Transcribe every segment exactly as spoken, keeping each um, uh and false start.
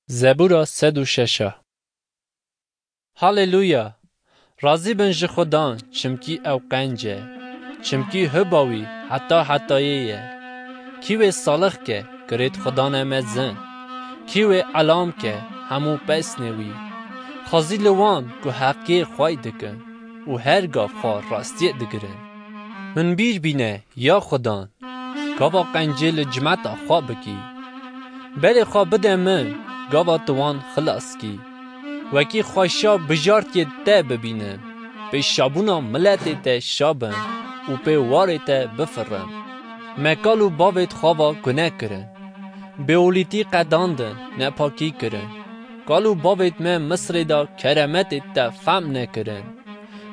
Zebûra sed û şeş. Haleluya! Razî bin ji Xudan, çimkî ew qenc e. Çimkî hiba wî heta hetayê ye. Kî wê salix ke, kirêt Xudan e mezin. Kî wê elam ke, hemû pesnê wî. Xwezî li wan ku heqiyê xwey dikin û her gav xwe rastiyê digirin. Min bîr bîne, ya Xudan, gava qencê li cimeta xwe bikî. Berê xwe bide min, gava tu wan xilas kî. Wekî xweşa bijartiyê te bibînin, pê şabûna miletê te şa bin û pê warê te bifirin. Me kal û bavêt xwe va gune kirin. Bêolîtî qedandin, nepakî kirin. Kal û bavêt me Misrê de keremetê te fehm nekirin.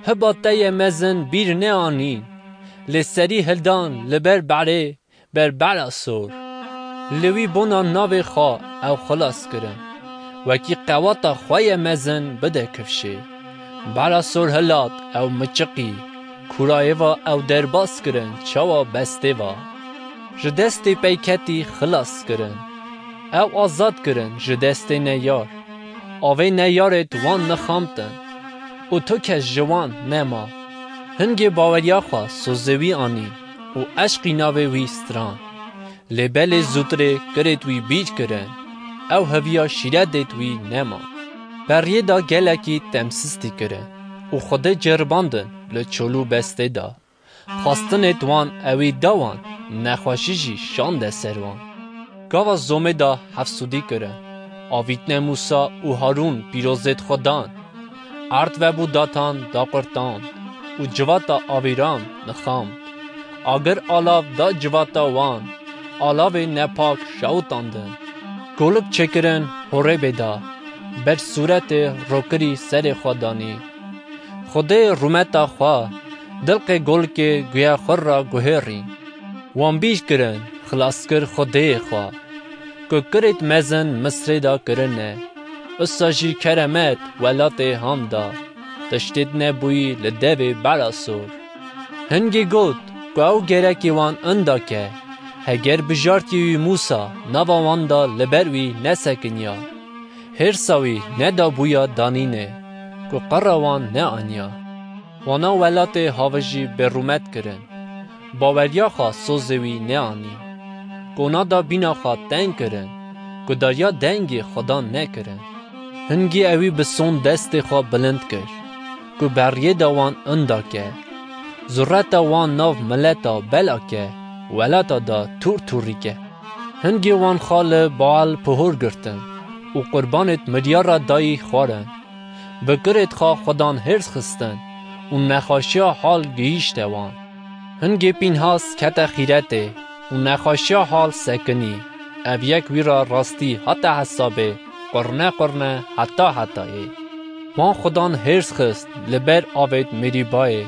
Hiba te ye mezin bîr neanîn. Lê serî hildan li ber berê, ber bera sor. Li wî bona navê xwe ew xilas kirin. Wekî qewata xwe ye mezin bide kifşê. Bera sor hilat ew miçiqî. Kûrayê va ew derbas kirin çawa bestê va. Ji destê peyketî xilas kirin. Ew azad kirin ji destê neyar. Avê neyarêt wan nixamtin û tu kes ji wan nema. Hingê baweriya xwe sozê wî anî û eşqî navê wî stran. Lê belê zûtirê kirêt wî bîr kirin. Ew heviya şîretêt wî nema. Beriyê de gelekî temsistî kirin û Xwedê ceribandin li çol û bestê de. Xwestinêt wan ewî da wan, nexweşî jî şande ser wan. Gava zomê de hefsûdî kirin. Avîtne Mûsa û Harûn pîrozêt Xudan. Erd vebû datan daqurtand û civata avîran nixamd. Agir alav da civata wan, alavê nepak şewitandin. Golik çêkirin Horebê de, ber sûretê rokirî serê xwe danî. Xwedê rûmeta xwe, dilqê golikê guya xwe ra guhêrîn. Wan bîr kirin, xilaskir Xwedêyê xwe. Ku kirêt mezin Misrê de kirine. Usa jî keremet welatê han da. Tiştêt nebûyî li devê bera sor. Hingî got, ku ew gerekî wan inda ke. Heger bijartî wî Mûsa nava wan da li ber wî nesekiniya. Hêrsa wî nedabûya danînê, ku qera wan neaniya. Wana welatê havijî bêrûmet kirin. Baweriya xwe sozê wî neanî. Kona da bîna xwe teng kirin, ku dariya dengê Xudan nekirin. Hingî ewî bi son destê xwe bilind kir, ku beriyê de wan inda ke. Zureta wan nav mileta bela ke, welata da tûr tûrî ke. Hingê wan xwe li Baal pihor girtin û qurbanêt miryara dayî xwarin. Bi kirêt xwe Xudan hêrs xistin û nexweşiya hal gihîşte wan. Hingê Pînhas kete xîretê û nexweşiya hal sekinî. Ev yek wî ra rastî hate hesabê, qurne qurne heta hetayê. Wan Xudan hêrs xist li ber avêt Merîbayê.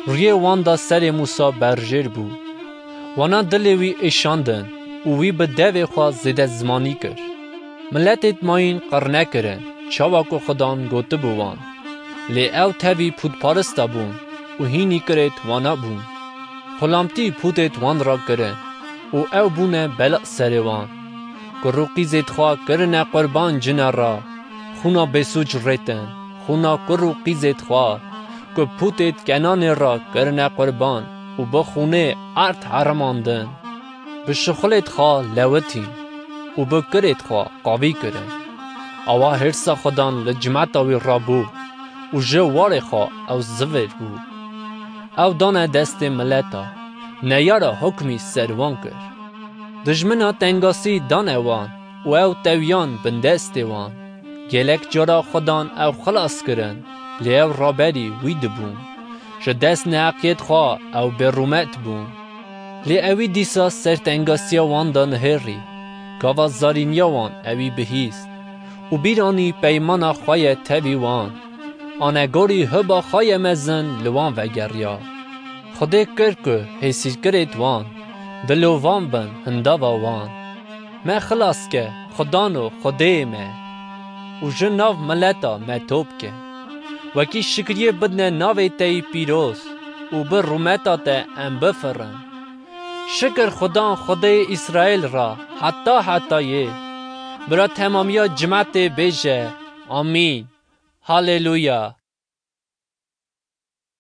Rûyê wan da serê Mûsa berjêr bû. Wana dilê wî êşandin û wî bi devê xwe zêde zimanî kir. Miletêt mayîn qirne kirin, çawa ku Xudan gotibû wan. Lê ew tevî pûtparista bûn û hînî kirêt wana bûn. Xulamtî pûtêt wan ra kirin û ew bûne bela serê wan. Kur û qîzêt xwe kirine qurban cina ra, xûna bêsûc rêtin, xûna kur û qîzêt xwe, ku pûtêt Kenanê ra kirine qurban û bi xûnê erd herimandin. Bi şixulêt xwe lewitîn û bi kirêt xwe qavî kirin. Awa hêrsa Xudan li cimeta wî rabû û ji warê xwe ew zivêr bû. Ew dane destê mileta, neyara hukmî ser wan kir. Dijmina tengasî dane wan û ew tewiyan bindestê wan. Gelek cara Xudan ew xilas kirin, lê ew raberî wî dibûn. Ji dest neheqiyêt xwe ew bêrûmet bûn. Lê ewî dîsa ser tengasiya wan de nihêrî, gava zarîniya wan ewî bihîst û bîranî peymana xwe ye tevî wan. Anegorî hiba xwe ye mezin li wan vegeriya. Xwedê kir ku hêsîrkirêt wan, dilovan bin hindava wan. Me xilas ke, Xudano Xwedêyê me, û ji nav mileta me top ke. Wekî şikriyê bidne navê te yî pîroz û bi rûmeta te em bifirin. Şikir Xudan Xwedêyê Îsraîl ra heta hetayê. Bira temamiya cimetê bêje, Amîn. Haleluya.